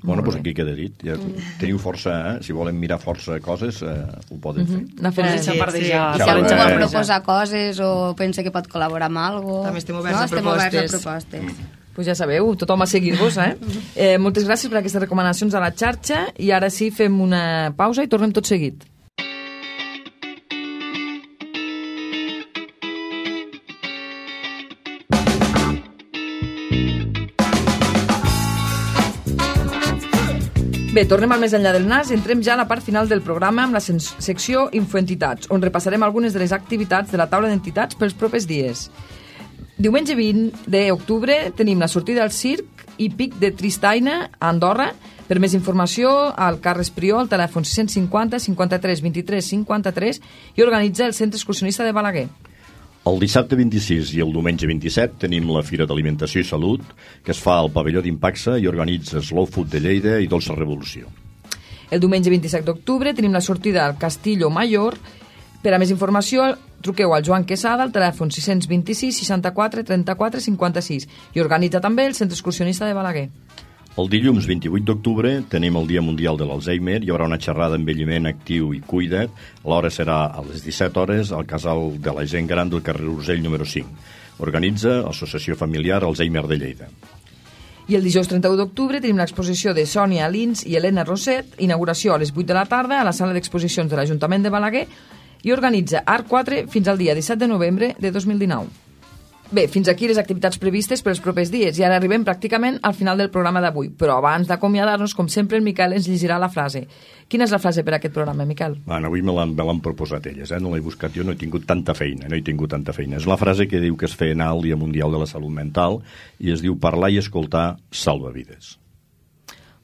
Bueno, doncs aquí queda dit. Ja teniu força, eh? Si volen mirar força coses, eh, ho poden fer. Anar fent Sí, sí. Si algú vol proposar coses o pensa que pot col·laborar amb alguna cosa... També estem oberts no? a estem oberts a propostes. propostes. Pues ja sabeu, tothom a seguir-vos, eh? eh? Moltes gràcies per aquestes recomanacions a la xarxa i ara sí fem una pausa i tornem tot seguit. Bé, tornem al Més enllà del nas i entrem ja a la part final del programa amb la secció Infoentitats, on repassarem algunes de les activitats de la taula d'entitats pels propers dies. Diumenge vint d'octubre tenim la sortida al circ i pic de Tristaina a Andorra. Per més informació, al Carles Prió, al telèfon sis cinquanta cinquanta-tres vint-i-tres cinquanta-tres i organitza el Centre Excursionista de Balaguer. El dissabte vint-i-sis i el diumenge vint-i-set tenim la Fira d'Alimentació i Salut, que es fa al pavelló d'Impaxa i organitza Slow Food de Lleida i Dolça Revolució. El diumenge vint-i-set d'octubre tenim la sortida al Castillo Mayor. Per a més informació, truqueu al Joan Quesada al telèfon sis dos sis seixanta-quatre trenta-quatre cinquanta-sis i organitza també el Centre Excursionista de Balaguer. El dilluns vint-i-vuit d'octubre tenim el Dia Mundial de l'Alzheimer. Hi haurà una xerrada d'envelliment actiu i cuida't. L'hora serà a les disset hores al Casal de la Gent Gran del carrer Urgell número cinc. Organitza l'Associació Familiar Alzheimer de Lleida. I el dijous trenta-u d'octubre tenim l'exposició de Sònia Lins i Helena Roset, inauguració a les vuit de la tarda a la sala d'exposicions de l'Ajuntament de Balaguer i organitza Art quatre fins al dia disset de novembre de dos mil dinou. Bé, fins aquí les activitats previstes per els propers dies i ara arribem pràcticament al final del programa d'avui. Però abans d'acomiadar-nos, com sempre, el Miquel ens llegirà la frase. Quina és la frase per a aquest programa, Miquel? Bueno, avui me l'han proposat elles, eh? No l'he buscat jo, no he tingut tanta feina, no he tingut tanta feina. És la frase que diu que es feia anar al Dia Mundial de la Salut Mental i es diu parlar i escoltar salva vides.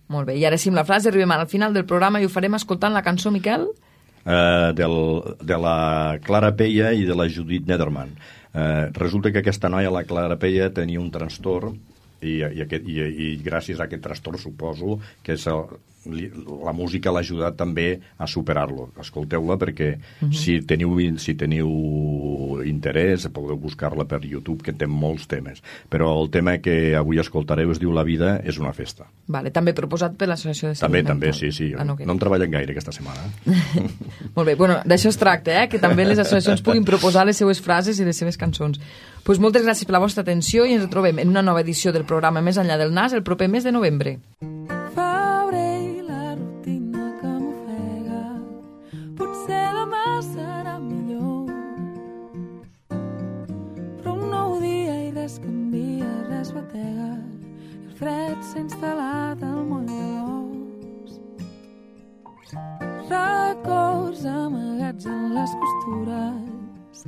Molt bé, i ara sí, amb la frase arribem al final del programa i ho farem escoltant la cançó, Miquel? Uh, del, de la Clara Peia i de la Judit Nederman. Uh, resulta que aquesta noia, la Clara Peia, tenia un trastorn i, i, aquest, i, i gràcies a aquest trastorn suposo que és el, li, la música l'ha ajudat també a superar-lo. Escolteu-la perquè uh-huh. si, teniu, si teniu interès podeu buscar-la per YouTube, que té molts temes, però el tema que avui escoltareu es diu La vida és una festa. Vale, també proposat per l'Associació de Salut També, Mental. també, sí, sí. Ah, no, no en treballen gaire aquesta setmana. Molt bé, bueno, d'això es tracta, eh? Que també les associacions puguin proposar les seues frases i les seves cançons. Pues moltes gràcies per la vostra atenció i ens trobem en una nova edició del programa Més enllà del nas el proper mes de novembre. Febrer i la rutina que m'ofega, potser demà serà millor, però un nou dia i res canvia, res batega, i el fred s'ha instal·lat al moll de l'os. Records amagats en les costures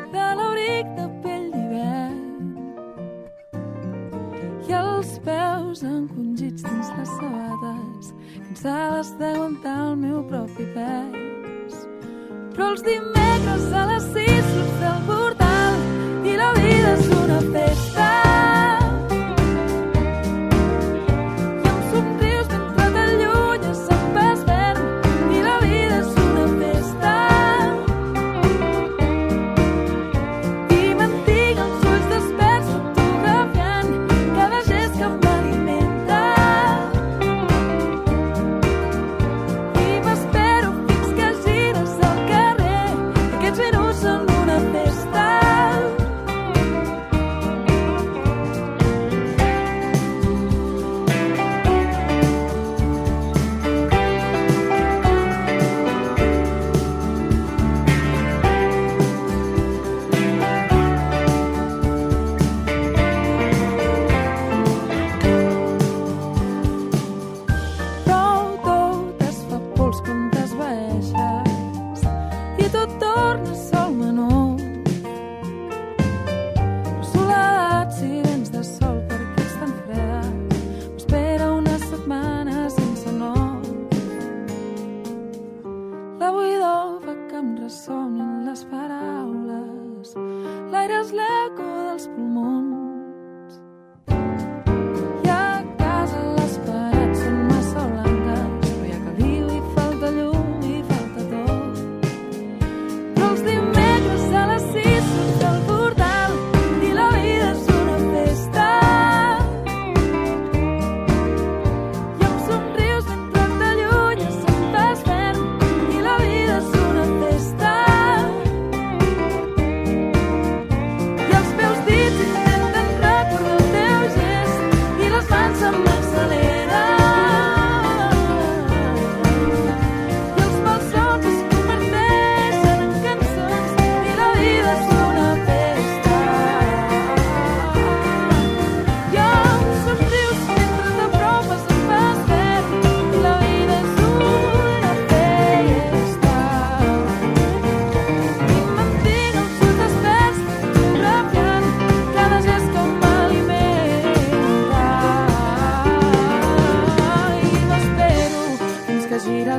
de l'abric de pell d'hivern i els peus encongits dins les sabates cansades d'aguantar el meu propi pes. Però els dimecres a les sis surts del portal i la vida és una festa.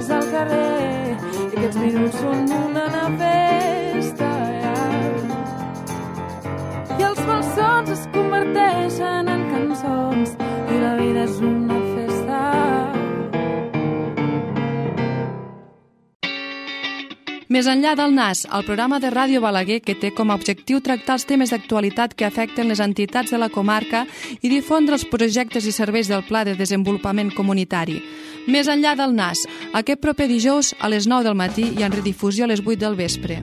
estàs al carrer i aquests minuts són una festa, i els malsons es converteixen en cançons i la vida és una festa. Més enllà del Nas, el programa de Ràdio Balaguer que té com a objectiu tractar els temes d'actualitat que afecten les entitats de la comarca i difondre els projectes i serveis del Pla de Desenvolupament Comunitari. Més enllà del Nas, aquest proper dijous a les nou del matí i en redifusió a les vuit del vespre.